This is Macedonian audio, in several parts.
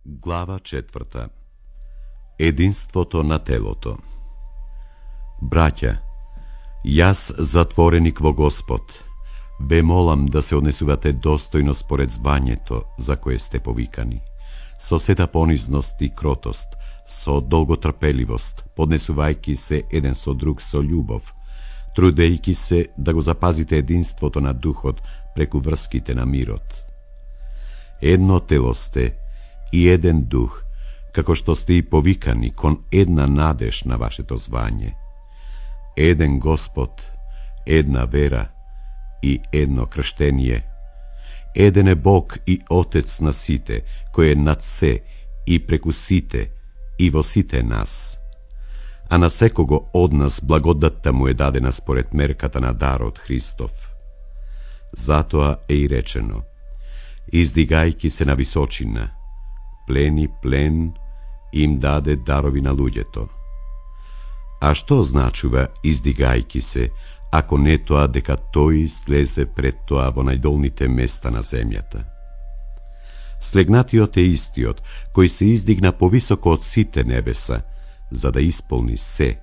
Глава 4. Единството на телото. Браќа, јас затвореник во Господ, ве молам да се однесувате достојно според звањето за кое сте повикани, со сета понизност и кротост, со долготрпеливост, поднесувајќи се еден со друг со љубов, трудејќи се да го запазите единството на духот преку врските на мирот. Едно тело сте и еден дух, како што сте и повикани кон една надеж на вашето звање. Еден Господ, една вера и едно крштение. Еден е Бог и Отец на сите, кој е над се и преку сите и во сите нас. А на секого од нас благодатта му е дадена според мерката на дарот Христов. Затоа е и речено: издигајќи се на височина, плени плен им даде дарови на луѓето. А што значува издигајќи се, ако не тоа дека тој слезе пред тоа во најдолните места на земјата? Слегнатиот е истиот, кој се издигна повисоко од сите небеса, за да исполни се.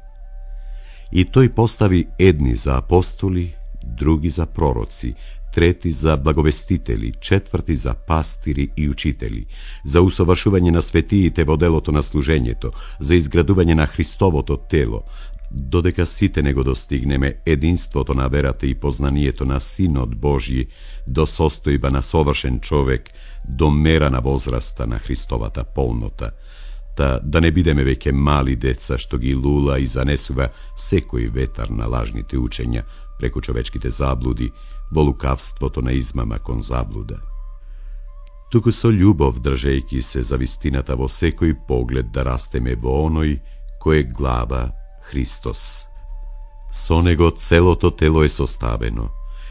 И тој постави едни за апостоли, други за пророци, трети за благовестители, четврти за пастири и учители, за усовршување на светиите во делото на служењето, за изградување на Христовото тело, додека сите не го достигнеме единството на верата и познанието на Синот Божји, до состојба на совршен човек, до мера на возраста на Христовата полнота, да не бидеме веќе мали деца што ги лула и занесува секој ветар на лажните учења преку човечките заблуди, во лукавството на измама кон заблуда. Туку со љубов држејќи се за вистината во секој поглед да растеме во оној кој е глава Христос. Со него целото тело е составено,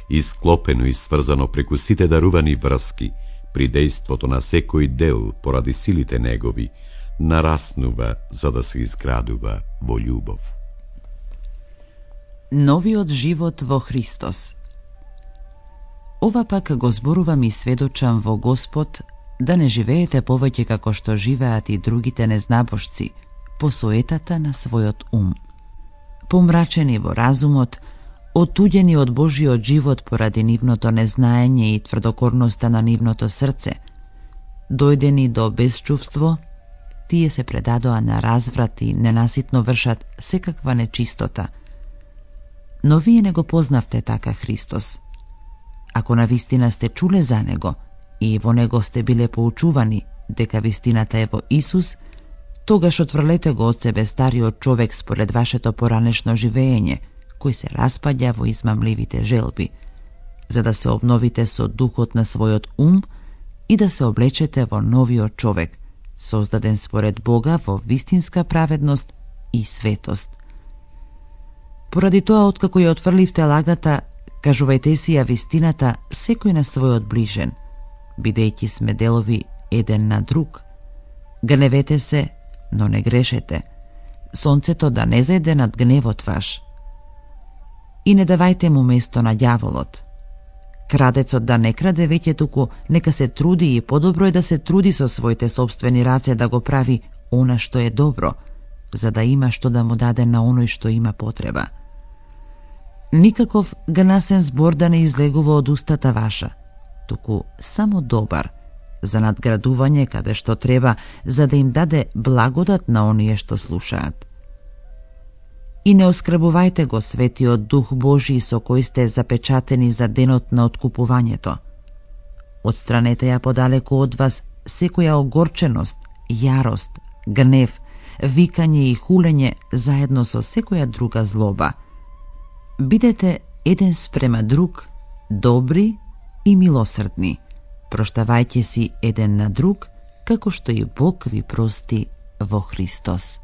исклопено и сврзано преку сите дарувани врски, при дејството на секој дел поради силите негови, нараснува за да се изградува во љубов. Новиот живот во Христос. Ова пак го зборувам и сведочам во Господ, да не живеете повеќе како што живеат и другите незнабожци, по соетата на својот ум. Помрачени во разумот, отуѓени од Божиот живот поради нивното незнаење и тврдокорноста на нивното срце, дојдени до безчувство, тие се предадоа на разврат и ненаситно вршат секаква нечистота. Но вие не го познавте така Христос. Ако навистина сте чуле за Него и во Него сте биле поучувани дека вистината е во Исус, тогаш отврлете го од себе стариот човек според вашето поранешно живење, кој се распаѓа во измамливите желби, за да се обновите со духот на својот ум и да се облечете во новиот човек, создаден според Бога во вистинска праведност и светост. Поради тоа, откако ја отфрливте лагата, кажувајте си ја вистината секој на својот ближен, бидејќи сме делови еден на друг. Гневете се, но не грешете. Сонцето да не зајде над гневот ваш. И не давајте му место на ѓаволот. Крадецот да не краде веќе, туку нека се труди, и подобро е да се труди со своите собствени раце да го прави она што е добро, за да има што да му даде на оној што има потреба. Никаков гнасен збор да не излегува од устата ваша, туку само добар, за надградување каде што треба, за да им даде благодат на оние што слушаат. И не оскрбувајте го Светиот Дух Божи со кој сте запечатени за денот на откупувањето. Отстранете ја подалеку од вас секоја огорченост, јарост, гнев, викање и хулење заедно со секоја друга злоба. Бидете еден спрема друг, добри и милосрдни, проштавајќи си еден на друг, како што и Бог ви прости во Христос.